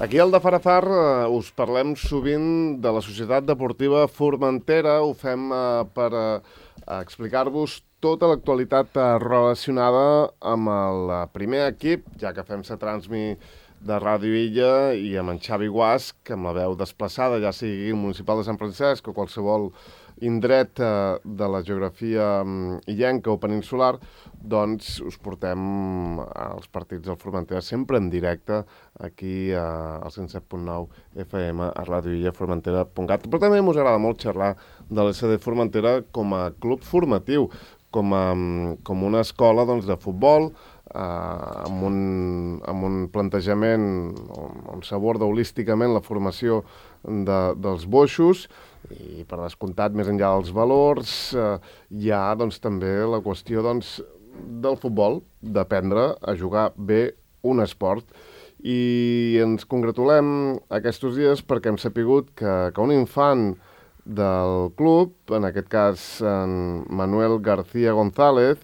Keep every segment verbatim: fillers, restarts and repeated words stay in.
Aquí al de Farafar eh, us parlem sovint de la Societat Deportiva Formentera. Ho fem eh, per eh, explicar-vos tota l'actualitat eh, relacionada amb el eh, primer equip, ja que fem la transmi de Ràdio Illa i amb en Xavi Guasc, amb la veu desplaçada, ja sigui el municipal de Sant Francesc o qualsevol indret eh, de la geografia um, illenca o peninsular, doncs us portem als partits del Formentera sempre en directe aquí eh, al cent set punt nou F M a ràdio illa formentera punt cat. Però també ens agrada molt xerrar de l'S D Formentera com a club formatiu, com, a, com una escola doncs, de futbol, eh, amb, un, amb un plantejament on, on s'aborda holísticament la formació de, dels boixos, i per descomptat, més enllà dels valors, eh, hi ha doncs, també la qüestió doncs, del futbol, d'aprendre a jugar bé un esport. I ens congratulem aquests dies perquè hem sapigut que, que un infant del club, en aquest cas en Manuel García González,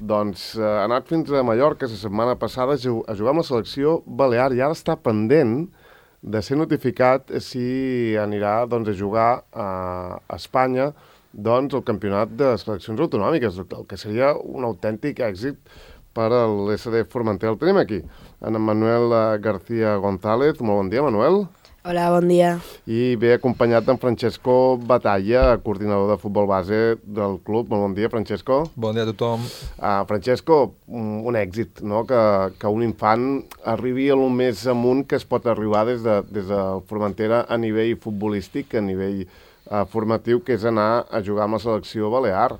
doncs eh, ha anat fins a Mallorca la setmana passada a jugar amb la selecció balear i ara està pendent de ser notificat si anirà doncs, a jugar a Espanya doncs, el campionat de seleccions autonòmiques, el que seria un autèntic èxit per a l'S D Formentera. El tenim aquí, en Manuel García González. Molt bon dia, Manuel. Hola, bon dia. I ve acompanyat d'en Francesco Batalla, coordinador de futbol base del club. Molt bon dia, Francesco. Bon dia a tothom. Uh, Francesco, un, un èxit, no?, que, que un infant arribi a lo més amunt que es pot arribar des de, des de Formentera a nivell futbolístic, a nivell uh, formatiu, que és anar a jugar amb la selecció balear.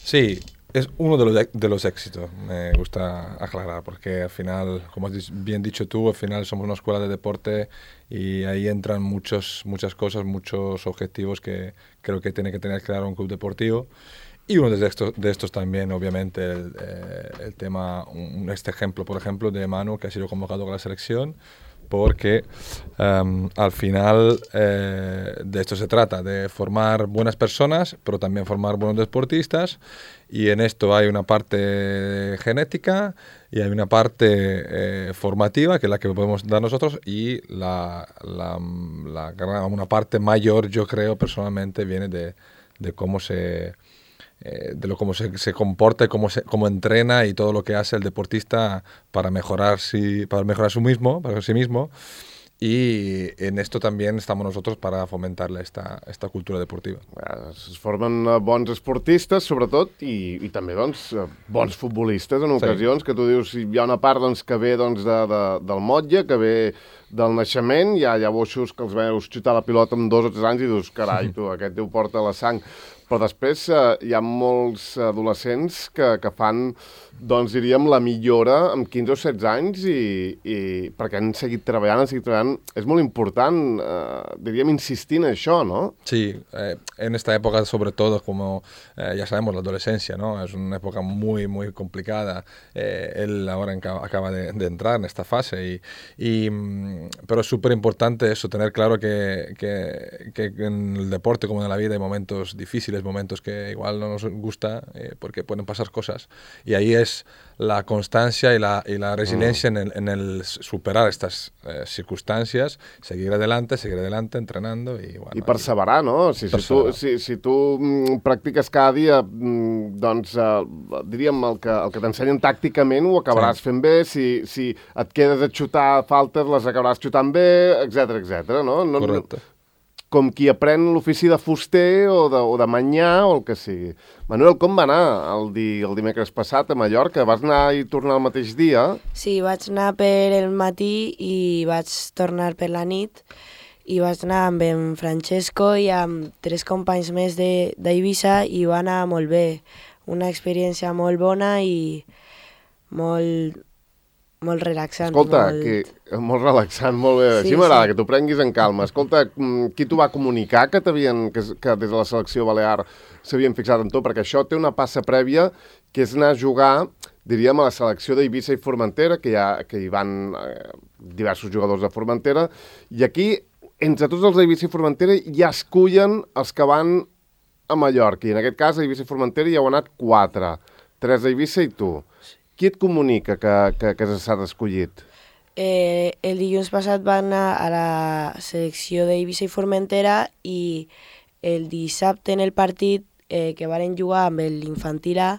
Sí, es uno de los, de los éxitos, me gusta aclarar, porque al final, como has bien dicho tú, al final somos una escuela de deporte y ahí entran muchos, muchas cosas, muchos objetivos que creo que tiene que tener claro un club deportivo. Y uno de estos, de estos también, obviamente, el, eh, el tema, un, este ejemplo, por ejemplo, de Manu, que ha sido convocado con la selección, porque um, al final eh, de esto se trata, de formar buenas personas, pero también formar buenos deportistas, y en esto hay una parte genética y hay una parte eh, formativa, que es la que podemos dar nosotros, y la, la, la, una parte mayor, yo creo, personalmente, viene de, de cómo se... Eh, de lo cómo se, se comporta, cómo se, cómo entrena y todo lo que hace el deportista para mejorar sí, para mejorar su mismo, para sí mismo. Y en esto también estamos nosotros para fomentarle esta, esta cultura deportiva. Es formen bons esportistes, sobretot, i, i també doncs, bons futbolistes en ocasions, sí. Que tu dius, hi ha una part doncs, que ve doncs, de, de, del motlle, que ve del naixement, hi ha, hi ha boixos que els veus xutar la pilota amb dos o tres anys i dius, carai, tu, aquest ho porta la sang. Però després eh, hi ha molts adolescents que, que fan, doncs diríem, la millora amb quinze o setze anys i, i perquè han seguit treballant, han seguit treballant. És molt important, eh, diríem, insistir en això, ¿no? Sí, eh, en esta época sobre todo, como eh, ya sabemos, la adolescencia, ¿no? Es una época muy, muy complicada. Eh, él ahora acaba de, de entrar en esta fase, y, y, pero es súper importante eso, tener claro que, que, que en el deporte como en la vida hay momentos difíciles, momentos que igual no nos gusta eh, porque pueden pasar cosas, y ahí es la constancia y la, y la resiliencia mm. en, el, en el superar estas eh, circunstancias, seguir adelante, seguir adelante, entrenando y bueno. I perseverar, no? Si, si, tu, si, si tu mm, practiques cada dia, mm, doncs eh, diríem el que, el que t'ensenyen tàcticament ho acabaràs sí. fent bé, si, si et quedes a xutar faltes les acabaràs xutant bé, etcètera, etcètera, no? no Correcte. No, com qui aprèn l'ofici de fuster o de, o de manyà o el que sigui. Manuel, com va anar el, di, el dimecres passat a Mallorca? Vas anar i tornar el mateix dia? Sí, vaig anar per el matí i vaig tornar per la nit, i vaig anar amb en Francesco i amb tres companys més d'Eivissa i va anar molt bé. Una experiència molt bona i molt... molt relaxant. Escolta, molt... Que, molt relaxant, molt bé. Sí, Així m'agrada, sí. que t'ho prenguis en calma. Escolta, qui t'ho va comunicar que, que, que des de la selecció balear s'havien fixat en tu? Perquè això té una passa prèvia, que és anar a jugar, diríem, a la selecció d'Eivissa i Formentera, que hi, ha, que hi van eh, diversos jugadors de Formentera, i aquí, entre tots els d'Eivissa i Formentera, ja escullen els que van a Mallorca. I en aquest cas, a Eivissa i Formentera hi heu anat quatre. Tres d'Eivissa i tu. Qui et comunica que, que, que s'ha escollit? Eh, el dilluns passat van anar a la selecció d'Eivissa i Formentera i el dissabte en el partit eh, que varen jugar amb l'infantil A,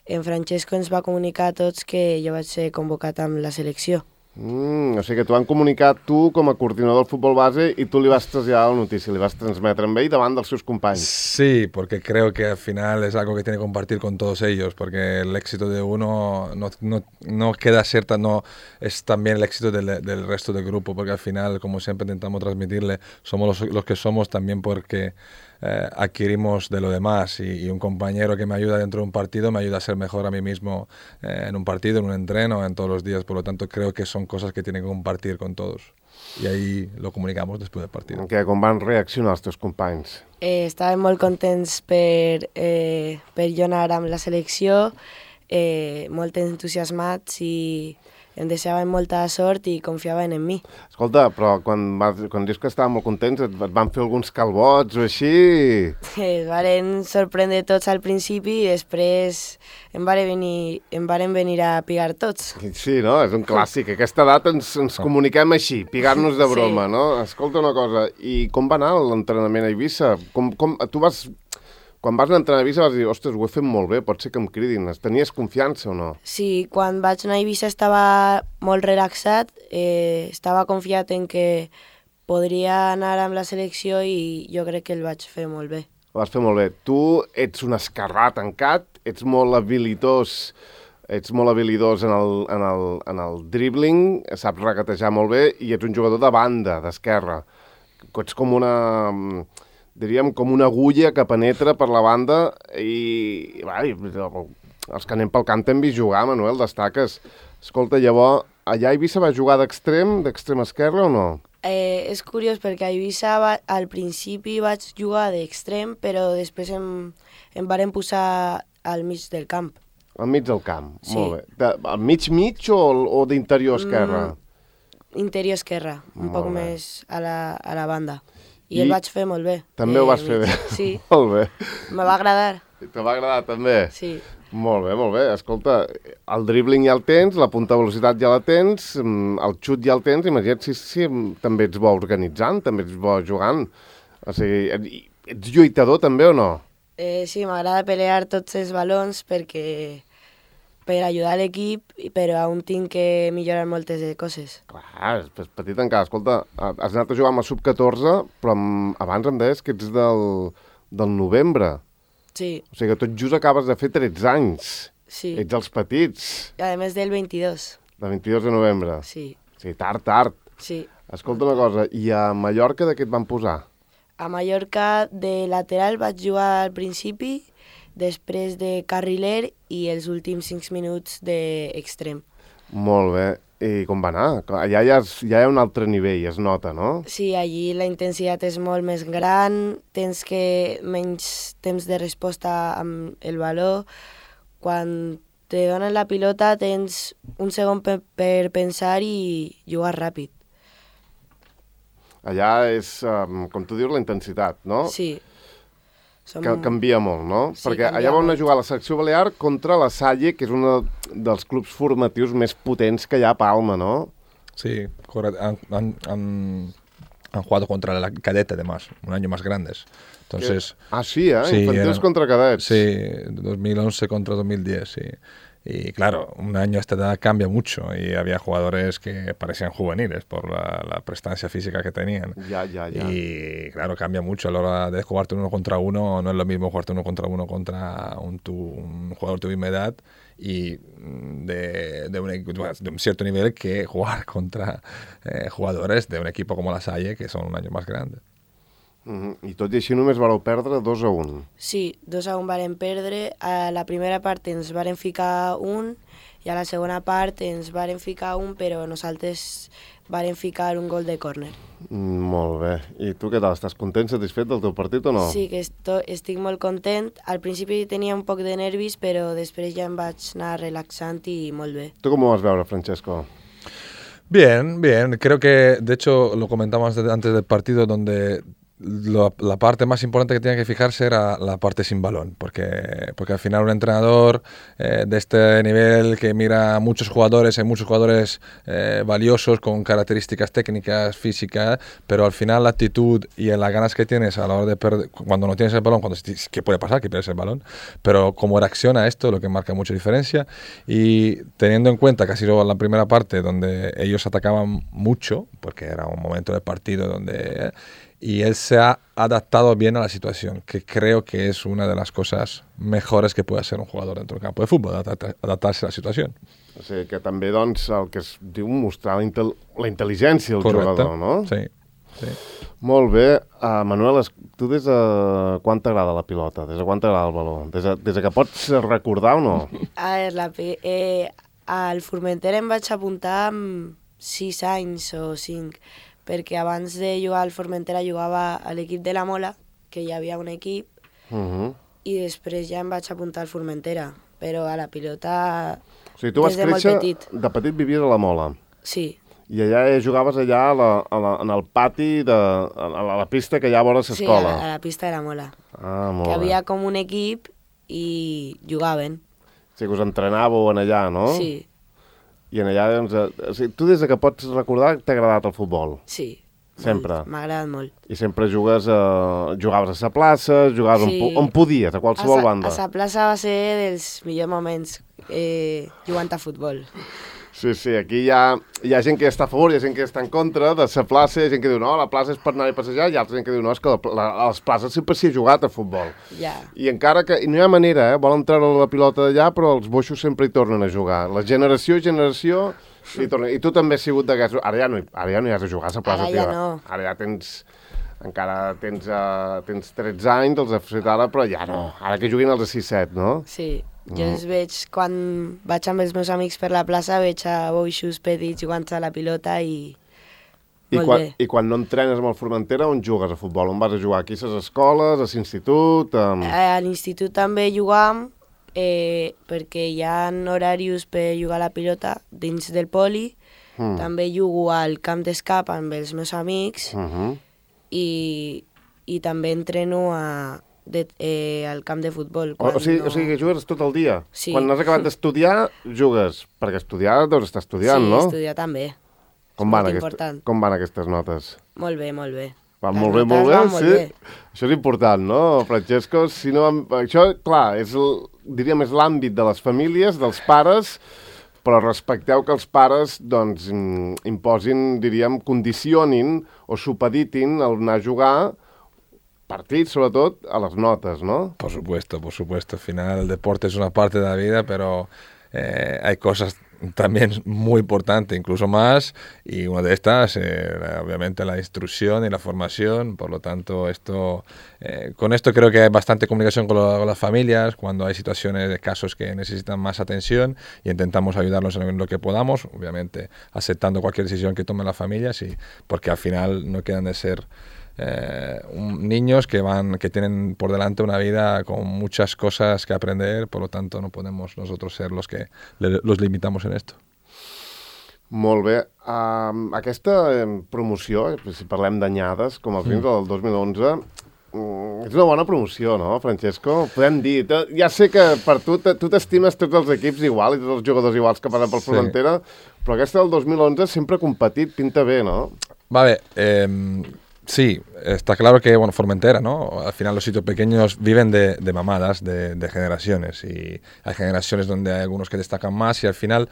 en Francesco ens va comunicar a tots que jo vaig ser convocat amb la selecció. Mm, o sigui que t'ho han comunicat tu com a coordinador del futbol base y tú le vas a traslladar la noticia, le vas a transmetre amb ell davant dels seus companys. Sí, porque creo que al final es algo que tiene que compartir con todos ellos, porque el éxito de uno no, no, no queda ser tan, no, es también el éxito del, del resto del grupo, porque al final, como siempre intentamos transmitirle, somos los, los que somos también porque eh, adquirimos de lo demás y, y un compañero que me ayuda dentro de un partido me ayuda a ser mejor a mí mismo eh, en un partido, en un entreno, en todos los días, por lo tanto creo que son cosas que tienen que compartir con todos. I ahí lo comunicamos després del partit. Que com van reaccionar els teus companys? Eh, estaven molt contents per, eh, per jo anar amb la selecció, eh, molt entusiasmats i em deseaven molta sort i confiaven en mi. Escolta, però quan, vas, quan dius que estaven molt contents, et, et van fer alguns calbots o així? Es varen sorprendre tots al principi i després em varen venir, em varen venir a pigar tots. Sí, no? És un clàssic. A aquesta edat ens, ens comuniquem així, pigar-nos de broma, Sí. no? Escolta una cosa, i com va anar l'entrenament a Eivissa? Com, com, tu vas... Quan vas anar a entrenar a Eivissa vas dir, ostres, ho he fet molt bé, pot ser que em cridin. Tenies confiança o no? Sí, quan vaig anar a Eivissa estava molt relaxat, eh, estava confiat en que podria anar amb la selecció i jo crec que el vaig fer molt bé. Ho vas fer molt bé. Tu ets un esquerrà tancat, ets molt habilitós, ets molt habilidós en el, en el, en el dribbling, saps regatejar molt bé i ets un jugador de banda, d'esquerra. Ets com una... diríem, com una agulla que penetra per la banda i, va, i els que anem pel camp t'hem vist jugar, Manuel, destaques. Escolta, llavors, allà a Eivissa va jugar d'extrem, d'extrem esquerre o no? Eh, és curiós perquè a Eivissa va, al principi vaig jugar d'extrem, però després em, em varen posar al mig del camp. Al mig del camp, Sí. molt bé. De, al mig-mig o, o d'interior esquerra? Mm, interior esquerra, un Molt poc bé. més a la, a la banda. I, I el vaig fer molt bé. També ho Eh, vas fer bé. Sí, Molt bé. me va agradar. Te va agradar també? Sí. Molt bé, molt bé. Escolta, el dribbling ja el tens, la punta de velocitat ja la tens, mm, el xut ja el tens, imagina't si, si també ets bo organitzant, també ets bo jugant. O sigui, et- ets lluitador també o no? Eh, sí, m'agrada pelear tots els balons perquè per ajudar l'equip, però aún tinc que millorar moltes de coses. Clar, és petit encara. Escolta, has anat a jugar amb el sub catorze, però amb, abans em deies que ets del, del novembre. Sí, O sigui que tot just acabes de fer tretze anys. sí. Ets els petits, A més del veintidós. de vint-i-dos de novembre. Sí, Sí, tard, tard. sí. Escolta una cosa, i a Mallorca de què et van posar? A Mallorca de lateral vaig jugar al principi, després de carriler i els últims cinc minuts d'extrem. Molt bé. I com va anar? Clar, allà ja, és, ja hi ha un altre nivell, es nota, no? Sí, allí la intensitat és molt més gran, tens que menys temps de resposta amb el baló. Quan te donen la pilota tens un segon per, per pensar i jugar ràpid. Allà és, um, com tu dius, la intensitat, no? Sí. Som... Que canvia molt, no? Sí, Perquè canvia allà van anar molt. a jugar a la selecció balear contra la Salle, que és un dels clubs formatius més potents que hi ha a Palma, no? Sí, correcto. Han, han, han, han jugado contra la cadete, además, un año más grandes. Entonces, Ah, sí, eh? Sí, Infantils era- contra cadets. sí, dos mil once contra dos mil diez, sí. Y claro, un año a esta edad cambia mucho y había jugadores que parecían juveniles por la, la prestancia física que tenían. Ya, ya, ya. Y claro, cambia mucho a la hora de jugarte uno contra uno. No es lo mismo jugarte uno contra uno contra un, tu, un jugador de tu misma edad y de, de, un, equ- de un cierto nivel que jugar contra eh, jugadores de un equipo como la Salle, que son un año más grandes. Mhm. I tot i així només vareu perdre dos a un. Sí, dos a un varen perdre. A la primera part ens varen ficar un i a la segona part ens varen ficar un, però nosaltres varen ficar un gol de córner. Mm, molt bé. I tu què tal? Estàs content, satisfet del teu partit o no? Sí, que esto, estic molt content. Al principi tenia un poc de nervis, però després ja em vaig anar relaxant i molt bé. Tu com ho vas veure, Francesco? Bien, bien. Creo que, de hecho, lo comentamos antes del partido, donde lo, la parte más importante que tenía que fijarse era la parte sin balón, porque, porque al final un entrenador eh, de este nivel que mira a muchos jugadores, hay muchos jugadores eh, valiosos con características técnicas, físicas, pero al final la actitud y las ganas que tienes a la hora de perder, cuando no tienes el balón, cuando, ¿qué puede pasar? Que pierdes el balón, pero cómo reacciona esto, lo que marca mucha diferencia, y teniendo en cuenta que ha sido la primera parte donde ellos atacaban mucho, porque era un momento del partido donde... Eh, y él se ha adaptado bien a la situación, que creo que es una de las cosas mejores que puede hacer un jugador dentro del campo de fútbol, adaptar-se a la situació. O sigui que també, doncs, el que es diu mostrar la, intel la intel·ligència del Correcte. Jugador, no? Sí, sí. Molt bé. Uh, Manuel, tu des de quan t'agrada la pilota? Des de quan t'agrada el baló? Des de, des de que pots recordar o no? A veure, la, eh, al Formentera em vaig apuntar amb sis anys o cinc, perquè abans de jugar al Formentera jugava a l'equip de la Mola, que hi havia un equip, uh -huh. i després ja em vaig apuntar al Formentera, però a la pilota o sigui, tu vas des de molt créixer, petit. De petit vivies a la Mola. Sí. I allà jugaves allà a la, a la, en el pati, de, a, la, a la pista que hi ha a vora Sí, l'escola. a, la, a la pista de la Mola. Ah, molt Que bé. havia com un equip i jugaven. O sigui, us entrenàveu en allà, no? Sí, I en allà, doncs, eh, o sigui, tu des de que pots recordar t'ha agradat el futbol? sí. Sempre? Molt, m'ha agradat molt. I sempre jugues a... jugaves a sa plaça, jugaves Sí. on, on podies, a qualsevol a sa, banda. A sa plaça va ser dels millors moments eh, jugant a futbol. Sí, sí, aquí hi ha, hi ha gent que està a favor, hi ha gent que està en contra de sa plaça, hi ha gent que diu, no, la plaça és per anar a passejar, i altra gent que diu, no, és que la, la, a les places sempre s'hi ha jugat a futbol. Ja. I encara que... I no hi ha manera, eh? Volen treure la pilota d'allà, però els boixos sempre hi tornen a jugar. La generació i generació... I, tornen. I tu també has sigut d'aquests... Ara, ja no, ara ja no hi has de jugar a la plaça. Ara ja teva. no. Ara ja tens... Encara tens, uh, tens tretze anys, els has fet ara, però ja no. Ara que juguin els de sis set, no? Sí, jo els veig, quan vaig amb els meus amics per la plaça, veig a boixos petits jugant a la pilota i... I Molt quan, bé. I quan no entrenes amb el Formentera, on jugues a futbol? On vas a jugar? Aquí a les escoles, a l'institut? Um... A l'institut també jugam, eh, perquè hi ha horaris per jugar a la pilota dins del poli. Mm. També jugo al camp d'escap amb els meus amics Uh -huh. i, i també entreno a, de, eh, al camp de futbol. o, o, sigui, no... o sigui que jugues tot el dia? Sí. Quan has acabat d'estudiar, jugues? Perquè estudiar deus estar estudiant, sí, no? estudiar també. Com és van, molt aquest, important. com van aquestes notes? Molt bé, molt bé. Van Les molt bé, notes molt bé, van molt sí. bé. Això és important, no, Francesco? Si no, això, clar, és el, diríem, és l'àmbit de les famílies, dels pares, però respecteu que els pares, doncs, im- imposin, diríem, condicionin o supeditin el anar a jugar partits, sobretot, a les notes, no? Por supuesto, por supuesto. Al final el deporte es una parte de la vida, pero eh, hay cosas también muy importantes, incluso más, y una de estas, eh, obviamente, la instrucción y la formación. Por lo tanto, esto, eh, con esto creo que hay bastante comunicación con, lo, con las familias, cuando hay situaciones de casos que necesitan más atención, y intentamos ayudarlos en lo que podamos, obviamente aceptando cualquier decisión que tomen las familias, y, porque al final no quedan de ser Eh, un, niños que van que tienen por delante una vida con muchas cosas que aprender, por lo tanto no podemos nosotros ser los que le, los limitamos en esto. Molt bé. Um, aquesta eh, promoció, eh, si parlem d'anyades, com els vins del dos mil onze, mm, és una bona promoció, no, Francesco? Podem dir, te, ja sé que per tu, te, tu t'estimes tots els equips igual i tots els jugadors iguals que passen pel Sí. Formentera, però aquesta del dos mil onze sempre ha competit, pinta bé, no? Vale, eh, sí, está claro que, bueno, Formentera, ¿no? Al final los sitios pequeños viven de, de mamadas, de, de generaciones, y hay generaciones donde hay algunos que destacan más, y al final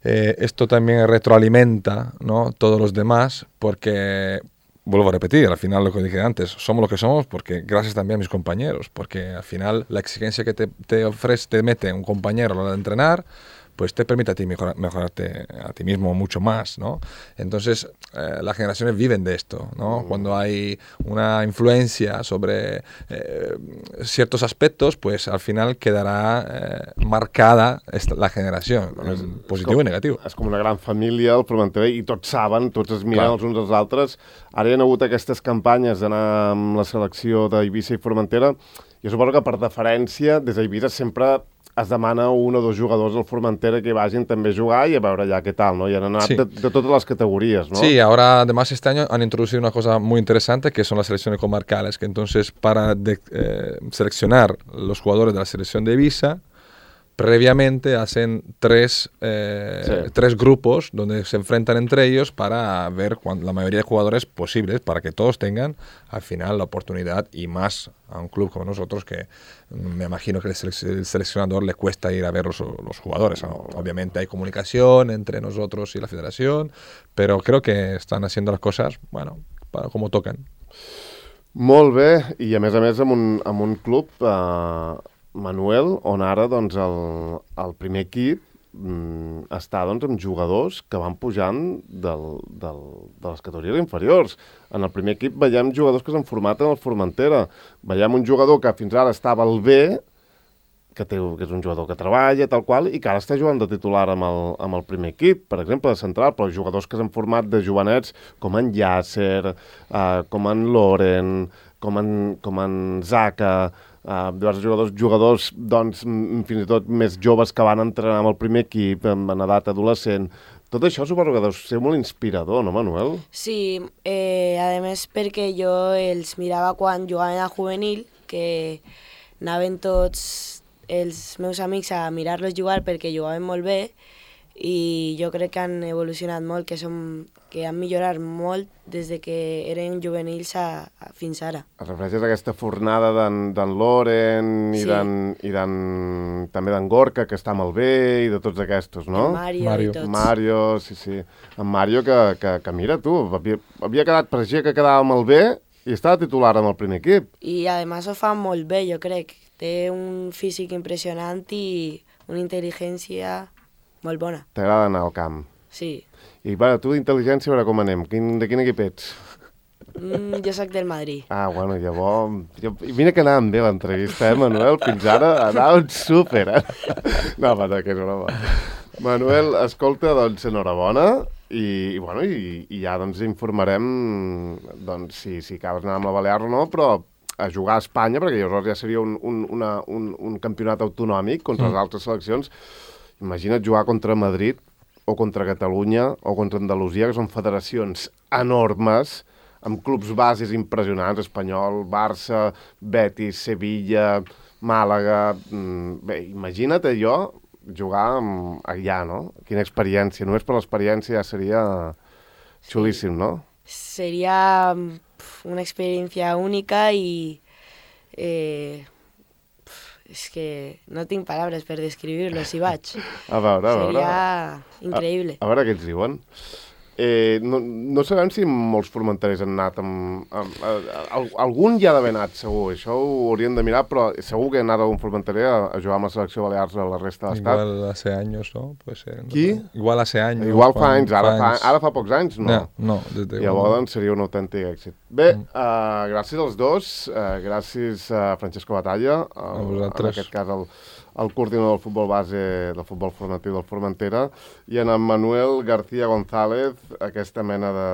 eh, esto también retroalimenta, ¿no?, todos los demás, porque, vuelvo a repetir, al final lo que dije antes, somos lo que somos porque gracias también a mis compañeros, porque al final la exigencia que te, te ofrece, te mete un compañero a la hora de entrenar, pues te permite a ti mejorar, mejorarte a ti mismo mucho más, ¿no? Entonces, eh, las generaciones viven de esto, ¿no? Cuando hay una influencia sobre eh, ciertos aspectos, pues al final quedará eh, marcada esta, la generación, És, positiu i negatiu. És com una gran família, el Formentera, i tots saben, tots es miren Clar. els uns als altres. Ara hi ha hagut aquestes campanyes d'anar amb la selecció d'Eivissa i Formentera. Jo suposo que per deferència, des d'Eivissa sempre es demana un o dos jugadors del Formentera que vagin també a jugar y a veure ya qué tal, ¿no? Y han anat Sí. de, de todas las categorías, ¿no? Sí, ahora además este año han introducido una cosa muy interesante que son las selecciones comarcales, que entonces para de- eh, seleccionar los jugadores de la selección de Ibiza, previamente hacen tres, eh, Sí. tres grupos donde se enfrentan entre ellos para ver cuán- la mayoría de jugadores posibles, para que todos tengan al final la oportunidad, y más a un club como nosotros que mm, me imagino que el, selec- el seleccionador le cuesta ir a ver los, los jugadores. ¿no? Obviamente hay comunicación entre nosotros y la federación, pero creo que están haciendo las cosas, bueno, para, como tocan. Molt bé, i a més a més amb un, amb un club, eh, Manuel, on ara doncs, el, el primer equip mm, està doncs, amb jugadors que van pujant del, del, de les categories inferiors. En el primer equip veiem jugadors que s'han format en el Formentera. Veiem un jugador que fins ara estava al B, que, té, que és un jugador que treballa, tal qual, i que ara està jugant de titular amb el, amb el primer equip, per exemple, de central, però jugadors que s'han format de jovenets, com en Yasser, eh, com en Loren, com en, com en Zaka, eh, diversos jugadors, jugadors doncs, m- fins i tot més joves que van entrenar amb el primer equip, en, en edat adolescent. Tot això suposo que deu ser molt inspirador, no, Manuel? Sí, eh, a més perquè jo els mirava quan jugaven a juvenil, que anaven tots els meus amics a mirar-los jugar perquè jugaven molt bé, i jo crec que han evolucionat molt, que, som, que han millorat molt des de que eren juvenils a, a fins ara. Es refereixes a aquesta fornada d'en d'en Loren i Sí. d'en i d'en també d'en Gorka, que està amb el B, i de tots aquests, no? El Mario, Mario. i tots. Mario, sí, sí. En Mario, que, que, que mira, tu, havia, havia quedat, pareixia que quedava amb el B i estava titular amb el primer equip. I a més ho fa molt bé, jo crec. Té un físic impressionant i una intel·ligència molt bona. T'agrada anar al camp. Sí. I, bueno, tu d'intel·ligència, a veure com anem. Quin, de quin equip ets? Mm, jo sóc del Madrid. Ah, bueno, llavors... Jo, i mira que anàvem bé l'entrevista, eh, Manuel? Fins ara anàvem súper, eh? No, passa, que és broma. Manuel, escolta, doncs, enhorabona, i, i bueno, i, i ja doncs informarem doncs, si, si acabes anar amb la Balear o no, però a jugar a Espanya, perquè llavors ja seria un, un, una, un, un campionat autonòmic contra les altres seleccions. Imagina't jugar contra Madrid o contra Catalunya o contra Andalusia, que són federacions enormes, amb clubs bases impressionants, Espanyol, Barça, Betis, Sevilla, Màlaga... mm, Bé, imagina't allò, jugar amb, allà, no? Quina experiència. Només per l'experiència ja seria xulíssim, no? Seria pf, una experiència única i eh, pf, és que no tinc paraules per descriure-lo si vaig. A veure, a veure. Seria increïble. A, a veure què ens diuen. Eh, no, no sabem si molts formenterers han anat amb... amb a, a, algun ja ha d'haver anat, segur. Això ho hauríem de mirar, però segur que ha anat algun formenterer a, a jugar amb la selecció Balears a la resta de l'Estat. Igual hace años, ¿no? Puede ser. Qui? Igual hace años. Igual fa quan- anys, ara fa, anys. ara fa pocs anys, no. No, no, desde Llavors doncs, seria un autèntic èxit. Bé, mm. uh, gràcies als dos, uh, gràcies a Francesco Batalla, el, A en vosaltres. aquest cas el, el coordinador del futbol base, del futbol formatiu del Formentera, i en en Manuel García González, aquesta mena de,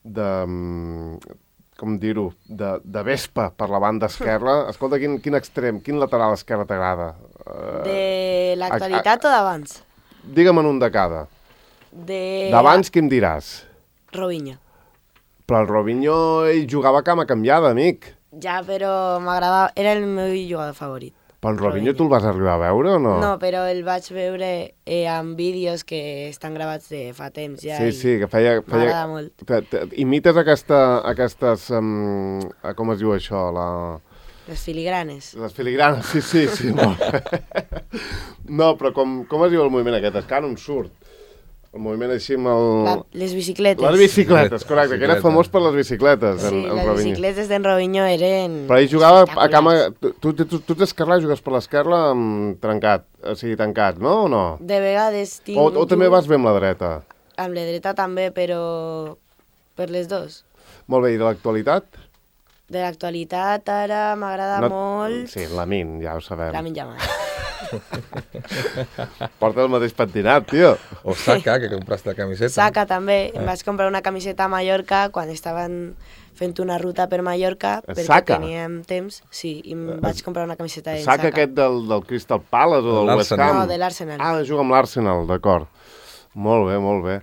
de mm, com dir-ho, de, de vespa per la banda esquerra. Escolta, quin, quin extrem, quin lateral esquerre t'agrada? Uh, De l'actualitat o d'abans? Digue'm en un de cada. De... D'abans, què em diràs? Robinho. Però el Robinho ell jugava a cama canviada, amic. Ja, però m'agradava... Era el meu jugador favorit. Però el Robinho tu el vas arribar a veure o no? No, però el vaig veure eh, en vídeos que estan gravats de fa temps ja. Sí, i sí, que feia... feia M'agrada molt. te, te, imites aquesta, aquestes... Um, com es diu això? La... Les filigranes. Les filigranes, sí, sí, sí, molt bé. No, però com, com es diu el moviment aquest? És que ara no em surt. El moviment així amb el... La, les bicicletes. Les bicicletes, correcte, que era Bicicleta. famós per les bicicletes, Sí, en, en les Robinho. bicicletes d'en Robinho eren... Però ell jugava a cama... espectaculars. Tu, tu, tu, tu ets esquerrà, jugues per l'esquerra amb trencat, o sigui, tancat, no o no? De vegades tinc... O, o també vas bé amb la dreta? Amb la dreta també, però per les dos. Molt bé, i de l'actualitat? De l'actualitat ara m'agrada No- molt Sí, Lamin, ja ho sabem. la Jamal. Porta el mateix pentinat, tio. O Saka, que compraste la camiseta. Saka també. Em vaig comprar una camiseta a Mallorca quan estaven fent una ruta per Mallorca perquè Saka? teníem temps. Sí, i em vaig comprar una camiseta de Saka Saka. aquest del, del Crystal Palace o del West L'Arsenal. Ham? No, de l'Arsenal. Ah, juga amb l'Arsenal, d'acord. Molt bé, molt bé.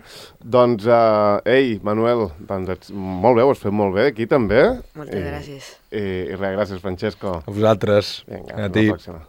Doncs, uh, ei, Manuel, doncs ets, molt bé, ho has fet molt bé aquí també. Moltes I, gràcies. I, i res, gràcies, Francesco. A vosaltres. Vinga, a fins ti. la pròxima.